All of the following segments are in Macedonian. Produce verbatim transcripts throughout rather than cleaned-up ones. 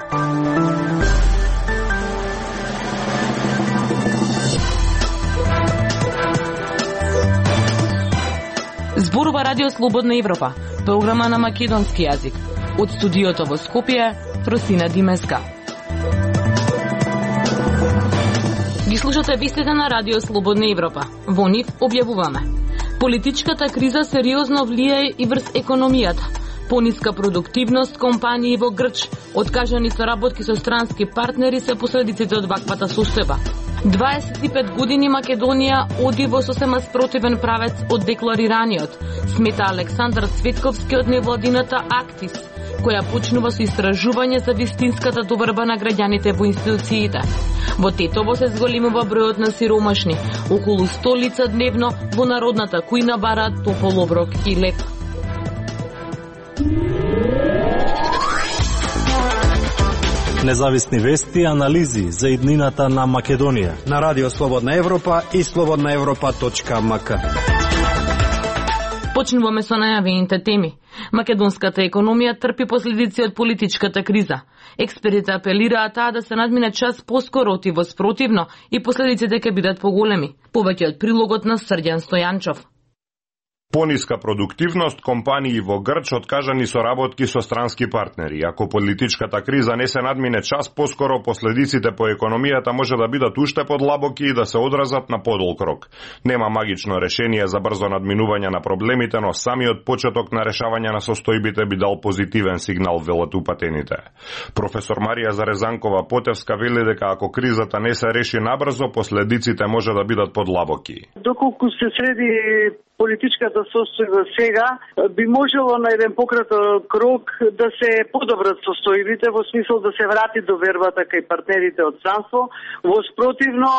Зборува Радио Слободна Европа, програма на македонски јазик. Од студиото во Скопје, Фросина Димеска. Ги слушате вестите на Радио Слободна Европа. Во нив објавуваме: политичката криза сериозно влијае и врз економијата. Пониска продуктивност компании во Грч, откажани соработки со странски партнери се последиците од ваквата состојба. дваесет и пет години Македонија оди во сосема спротивен правец од декларираниот, смета Александар Цветковски од невладината Актис, која почнува со истражување за вистинската доврба на граѓаните во институциите. Во Тетово се зголемува бројот на сиромашни. Околу сто лица дневно во народната кујна бараат топол оброк и леп. Независни вести и анализи за иднината на Македонија на Радио Слободна Европа и слободна европа точка ем ка. Почнуваме со најавените теми. Македонската економија трпи последици од политичката криза. Експертите апелираат таа да се надмине час поскоро отиво спротивно и последиците ќе бидат поголеми. Повеќе од прилогот на Срđan Стојанчов. Пониска продуктивност, компании во Грч откажани соработки со странски партнери. Ако политичката криза не се надмине час поскоро, последиците по економијата може да бидат уште подлабоки и да се одразат на подолг рок. Нема магично решение за брзо надминување на проблемите, но самиот почеток на решавање на состојбите би дал позитивен сигнал, велат упатените. Професор Марија Зарезанкова-Потевска вели дека ако кризата не се реши набрзо, последиците може да бидат подлабоки. Доколку се среди политичката состојба сега, би можело на еден пократок рок да се подобрат состојбите во смисол да се врати довербата кај партнерите од странство. Во спротивно,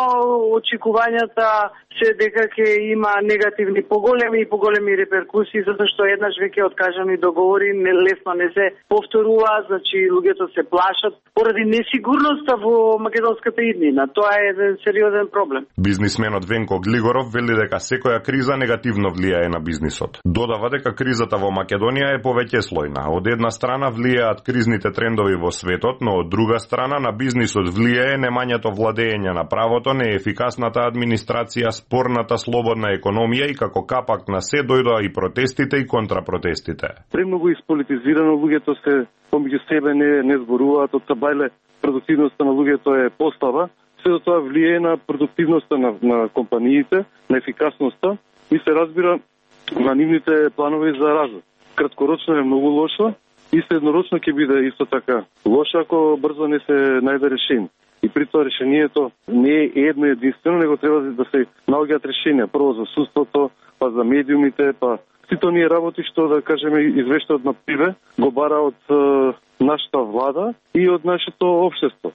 очекувањата се дека ќе има негативни поголеми и поголеми реперкусии, затоа што еднаш веќе откажани договори лесно не се повторуваат, значи луѓето се плашат поради несигурноста во македонската иднина. Тоа е еден сериозен проблем. Бизнисменот Венко Глигоров вели дека секоја криза негативно влијае на бизнисот. Додава дека кризата во Македонија е повеќе слојна. Од една страна влијаат кризните трендови во светот, но од друга страна на бизнисот влијае немањето владење на правото, неефикасната администрација, спорната слободна економија и како капак на се дојдоа и протестите и контрапротестите. Премногу исполитизирано, луѓето се помеѓу себе не не зборуваат, од табајле продуктивноста на луѓето е послаба. Се тоа влијае на продуктивноста на, на компаниите, на ефикасноста и се разбира на нивните планови за развој. Краткорочно е многу лошо и среднорочно ќе биде исто така лошо ако брзо не се најде решение. И при тоа решението не е едно единствено, него треба да се наоѓаат решенија. Прво за судството, па за медиумите, па сите оние работи што, да кажеме, извештаот на Пиве го бара од е, нашата влада и од нашето општество.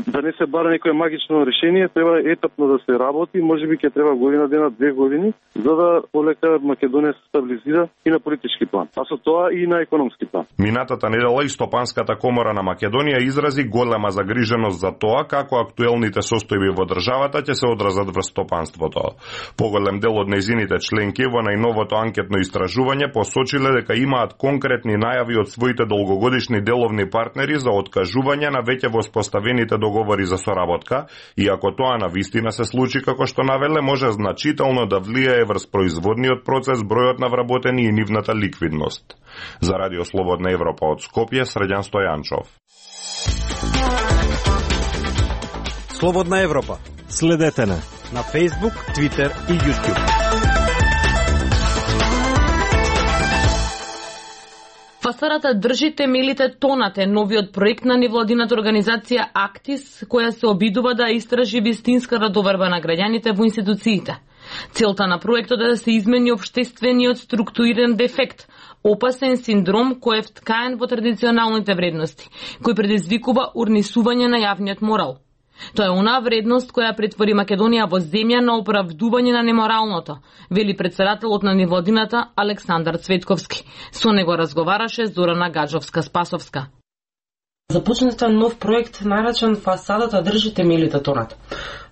Да не се бара некое магично решение, треба етапно да се работи, можеби ќе треба година дена, две години, за да полека Македонија се стабилизира и на политички план, а со тоа и на економски план. Минатата недела и Стопанската комора на Македонија изрази голема загриженост за тоа како актуелните состојби во државата ќе се одразат врз стопанството. Поголем дел од нејзините членки во најновото анкетно истражување посочиле дека имаат конкретни најави од своите долгогодишни деловни партнери за откажување на веќе воспоставените договори за соработка и ако тоа на вистина се случи како што навеле, може значително да влијае врз производниот процес, бројот на вработени и нивната ликвидност. За Радио Слободна Европа од Скопје, Срđan Стојанчов. Слободна Европа. Следете на на Facebook, Twitter и YouTube. Фасадата држи темелите тонат е новиот проект на невладината организација Актис, која се обидува да истражи вистинската доверба на граѓаните во институциите. Целта на проектот е да се измени општествениот структуриран дефект, опасен синдром кој е вткаен во традиционалните вредности, кој предизвикува урнисување на јавниот морал. Тоа е онаа вредност која претвори Македонија во земја на оправдување на неморалното, вели претседателот на невладината Александар Цветковски. Со него разговараше Зорана Гаджовска-Спасовска. Започнете нов проект наречен Фасадата држи темелите тонат.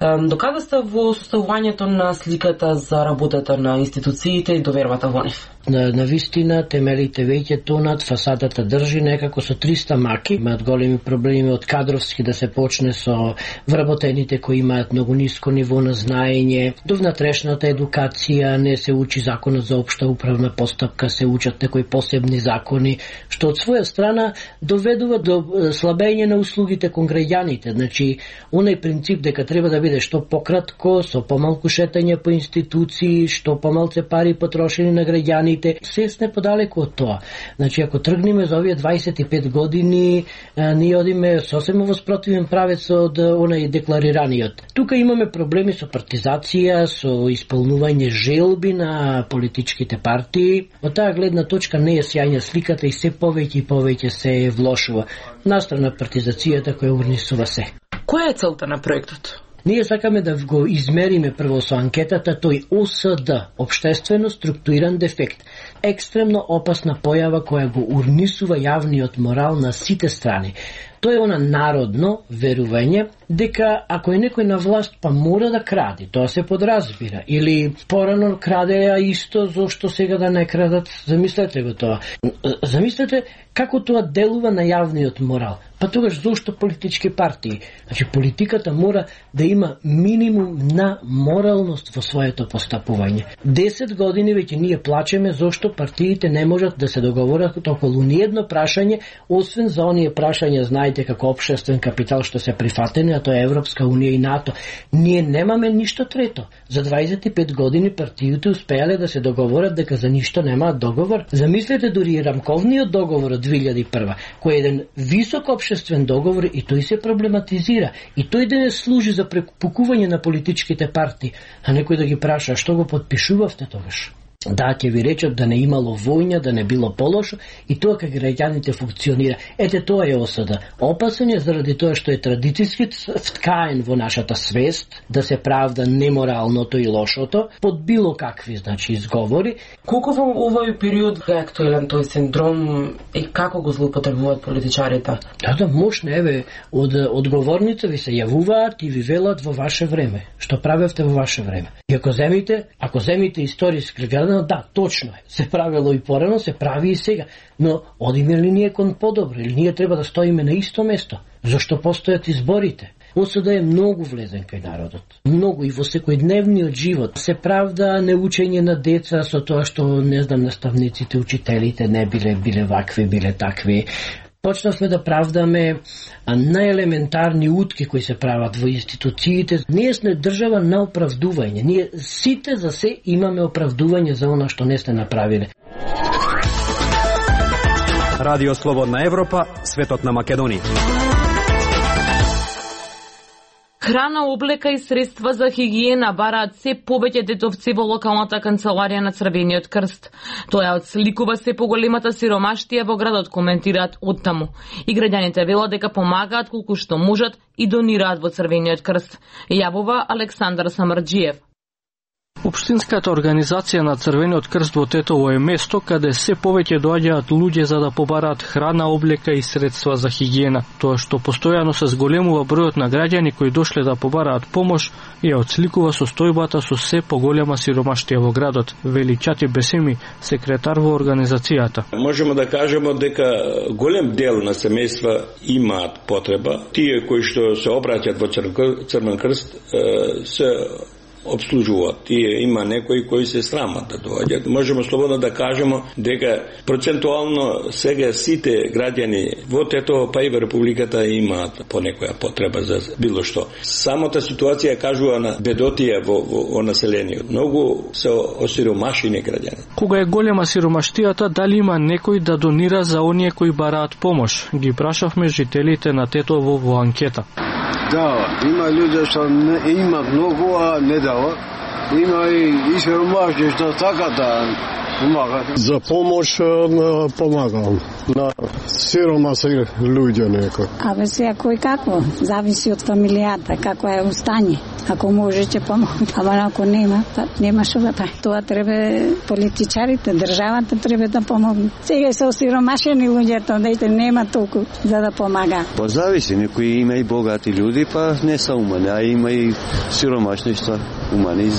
Докаде сте во составувањето на сликата за работата на институциите и довербата во нив? На, на вистина, темелите веќе тонат, фасадата држи некако со триста маки. Имаат големи проблеми од кадровски да се почне со вработените кои имаат многу ниско ниво на знаење, до внатрешната едукација, не се учи законот за општа управна постапка, се учат некои посебни закони, што од своја страна доведува до слабење на услугите кон граѓаните. Значи, оној принцип дека треба да биде што пократко, со помалку шетање по институции, што помалце пари потрошени на граѓаните, се сме подалеку од тоа. Значи, ако тргнеме за овие дваесет и пет години, ние одиме сосема во спротивен правец од онај декларираниот. Тука имаме проблеми со партизација, со исполнување желби на политичките партии. Од таа гледна точка не е сјајна сликата и се повеќе и повеќе се влошува. Настрана партизацијата која урнисува се. Која е целта на проектот? Ние сакаме да го измериме прво со анкетата тој О С Д, општествено структуриран дефект, екстремно опасна појава која го урнисува јавниот морал на сите страни. Тоа е она народно верување дека ако е некој на власт па мора да кради, тоа се подразбира, или порано крадеа исто зошто сега да не крадат. Замислете го тоа. Замислете како тоа делува на јавниот морал. Па тогаш зошто политички партии? Значи политиката мора да има минимум на моралност во своето постапување. Десет години веќе ние плачеме зошто партиите не можат да се договорат околу ниедно прашање, освен за оние прашања, знаете, како општествен капитал што се прифатени, а тоа е Европска унија и НАТО. Ние немаме ништо трето. За дваесет и пет години партиите успеале да се договорат дека за ништо немаат договор. Замислете дури и рамковниот договор од две илјади и прва, кој е еден висок општествен договор и тој се проблематизира. И тој денес служи за препукување на политичките партии, а некој да ги праша што го подпишувавте тогаш. Да, ќе ви речат да не имало војна, да не било полошо и тоа кај граѓаните функционира. Ете тоа е О С Д. Опасен е заради тоа што е традицијски вткаен во нашата свест да се правда неморалното и лошото под било какви, значи, изговори. Колку во овој период е актуелен тој синдром и како го злоупотребуваат политичарите? Да, да, мощно, еве, од одговорница ви се јавуваат и ви велат во ваше време. Што правевте во ваше време? И ако земите, ако земите историски гледано, да, точно е. Се правило и порано, се прави и сега. Но одиме ли ние кон подобро или ние треба да стоиме на исто место? Зошто постојат изборите? О С Д е многу влезен кај народот. Многу и во секојдневниот живот. Се правда неучење на деца со тоа што, не знам, наставниците, учителите не биле биле вакви, биле такви. Почнавме да правдаме најелементарни утки кои се прават во институциите. Ние сме држава на оправдување. Ние сите за се имаме оправдување за она што не сте направиле. Радио Слободна Европа, светот на Македонија. Храна, облека и средства за хигиена бараат се повеќе детовци во локалната канцеларија на Црвениот крст. Тоа отсликува се поголемата сиромаштија во градот, коментираат оттаму. И граѓаните велат дека помагаат колку што можат и донираат во Црвениот крст. Јавува Александар Самарџиев. Општинската организација на Црвениот крст во Тетово е место каде се повеќе доаѓаат луѓе за да побараат храна, облека и средства за хигиена. Тоа што постојано се зголемува бројот на граѓани кои дошле да побараат помош и ја отсликува состојбата со се поголема сиромаштија во градот, вели Чати Бесеми, секретар во организацијата. Можеме да кажеме дека голем дел на семејства имаат потреба. Тие кои што се обраќаат во Црвен крст се обслужуваат. Тие има некои кои се срамат да доаѓаат. Можеме слободно да кажеме дека процентуално сега сите граѓани во Тетово па и во Републиката имаат по некоја потреба за било што. Самата ситуација кажува на бедотија во, во, во населението. Многу се осиромашени граѓани. Кога е голема сиромаштијата, дали има некој да донира за оние кои бараат помош? Ги прашавме жителите на Тетово во анкета. Да, има луѓе што не има многу, а не дава. Има и, и сиромашни што така да помагат. За помош помагам на сиромасни луѓе некој. Абе сега кој како, зависи од фамилијата, како е устање. Ако може ќе помогне, ама ако нема, па нема што да прави. Тоа треба политичарите, државата треба да помогне. Сега се осиромашени луѓето, дете нема толку за да помага. Па зависи, некои има и богати луѓе, па не се умани, а има и сиромашни што умани.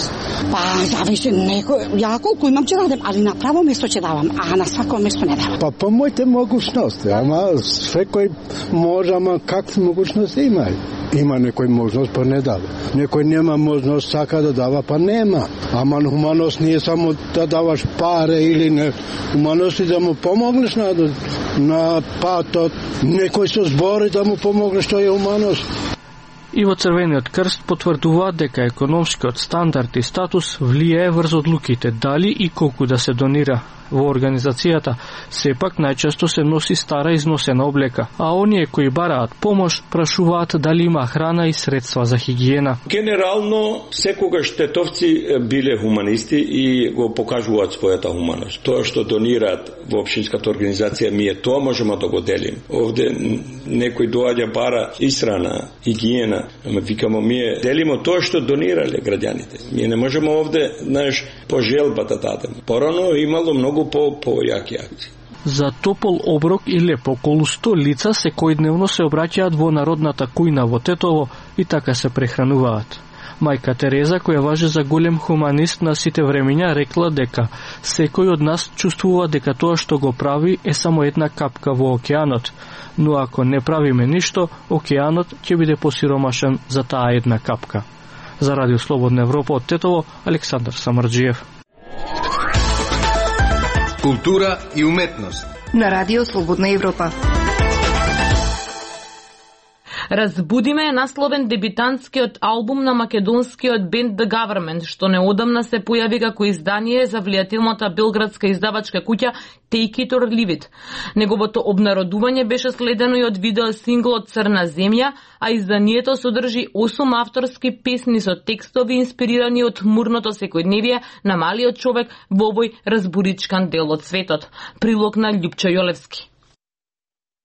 Па зависи, некој, ја колку имам ќе дадем, али на право место ќе давам, а на свако место не давам. Па по моите могушности, ама секој може, ама какви могушности има? Има некој можност, па не дава. Некој нема можност, сака да дава, па нема. Ама хуманост не е само да даваш паре или не. Хуманост е да му помогнеш на, на патот. Некој со збори да му помогнеш, тоа е хуманост. И во Црвениот крст потврдуваат дека економскиот стандард и статус влијае врз одлуките дали и колку да се донира. Во организацијата сепак најчесто се носи стара износена облека, а оние кои бараат помош прашуваат дали има храна и средства за хигиена. Генерално секогаш тетовци биле хуманисти и го покажуваат својата хуманост. Тоа што донираат во општинската организација, ние тоа можеме да го делим. Овде некој доаѓа бара исрана, хигиена, ама викамо ние делимо тоа што донирале граѓаните. Ние не можеме овде, знаеш, по желба да дадем. Порано имало многу по појаки акции. За топол оброк и леп околу сто лица секојдневно се обраќаат во народната кујна во Тетово и така се прехрануваат. Мајка Тереза, која важи за голем хуманист на сите времиња, рекла дека секој од нас чувствува дека тоа што го прави е само една капка во океанот, но ако не правиме ништо, океанот ќе биде посиромашен за таа една капка. За Радио Слободна Европа од Тетово, Александар Самарџиев. Култура и уметност на Радио Слободна Европа. Разбудиме е насловен дебитантскиот албум на македонскиот бенд The Government, што неодамна се појави како издание за влијателната белградска издавачка куќа Take It or Leave It. Неговото обнародување беше следено и од видео синглот Црна земја, а изданието содржи осум авторски песни со текстови инспирирани од мурното секојдневие на малиот човек во овој разбуричкан дел од светот. Прилог на Љупчо Јолевски.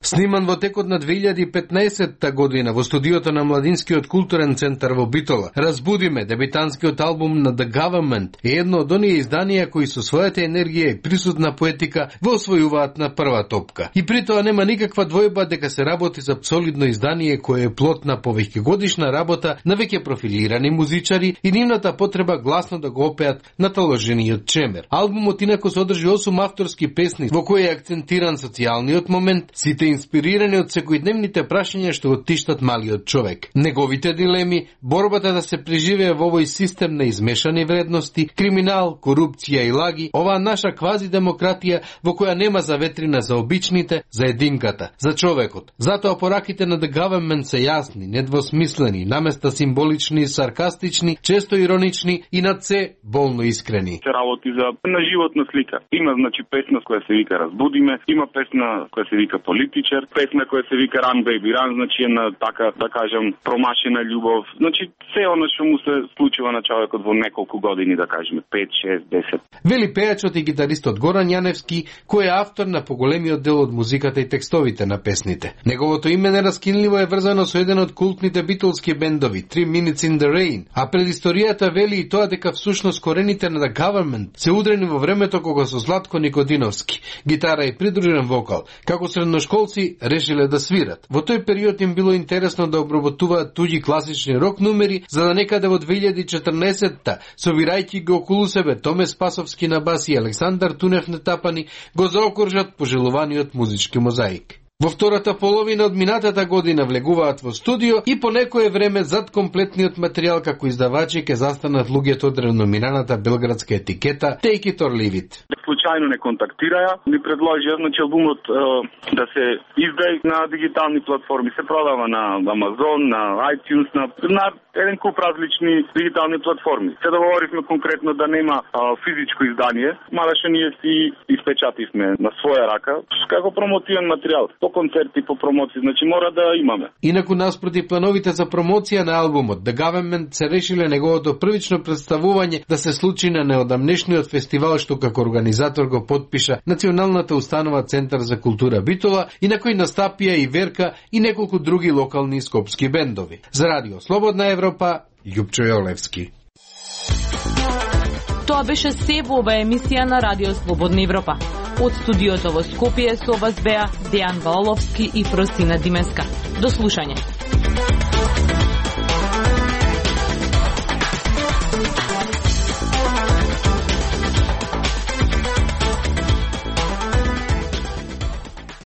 Сниман во текот на две илјади и петнаесетта година во студиото на Младинскиот културен центар во Битола, Разбудиме, дебитантскиот албум на The Government, е едно од оние изданија кои со својата енергија и присутна поетика го освојуваат на прва топка. И при тоа нема никаква двојба дека се работи за солидно издание кое е плод на повеќегодишна работа на веќе профилирани музичари и нивната потреба гласно да го опеат наталожениот чемер. Албумот инаку содржи осум авторски песни во кои е акцентиран социјалниот момент, сите инспирирани од секојдневните прашања што го тиштат малиот човек. Неговите дилеми, борбата да се преживее во овој систем на измешани вредности, криминал, корупција и лаги, оваа наша квази демократија во која нема заветрина за обичните, за единката, за човекот. Затоа пораките на The Government се јасни, недвосмислени, наместа символични и саркастични, често иронични и над се болно искрени. Се работи за на животна слика. Има значи песна која се вика Разбудиме, има песна која се вика Политичар, песна која се вика Run Baby Run, значи е на така, да кажем, промашена љубов. Значи, се оно што му се случува на човекот во неколку години, да кажеме, пет, шест, десет. Вели пејачот и гитаристот Горан Јаневски, кој е автор на поголемиот дел од музиката и текстовите на песните. Неговото име нераскинливо е врзано со еден од култните битолски бендови, Three Minutes in the Rain, а предисторијата вели и тоа дека всушност корените на The Government се удрени во времето кога со Златко Никодиновски, гитара и придружен вокал, како средношколци решиле да свират. Во тој период им било интересно да обработуваат туѓи класични рок numери, за да некаде во две илјади и четрнаесетта, собирајќи го околу себе Томе Спасовски на бас и Александар Тунев на тапани, го заокружат пожелуваниот музички мозаик. Во втората половина од минатата година влегуваат во студио и по некое време зад комплетниот материјал како издавачи ќе застанат луѓето од реномираната белградска етикета Take It or Leave It. Случајно не контактираја, ми предложија значи албумот е, да се издаде на дигитални платформи, се продава на Amazon, на iTunes, на, на еден куп различни дигитални платформи. Се договоривме конкретно да нема а, физичко издание, мада што ние си испечативме на своја рака како промотивен материјал, по концерти, по промоции, значи мора да имаме. Инаку наспроти плановите за промоција на албумот, The Government се решиле неговото првично представување да се случи на неодамнешниот фестивал што како организатор го подпиша Националната установа Центар за култура Битола и на кој настапија и Верка и неколку други локални скопски бендови. За Радио Слободна Европа, Љупчо Јолевски. Тоа беше се во оваа емисија на Радио Слободна Европа. Од студиото во Скопје со вас беа Дејан Валовски и Фросина Димеска. До слушање.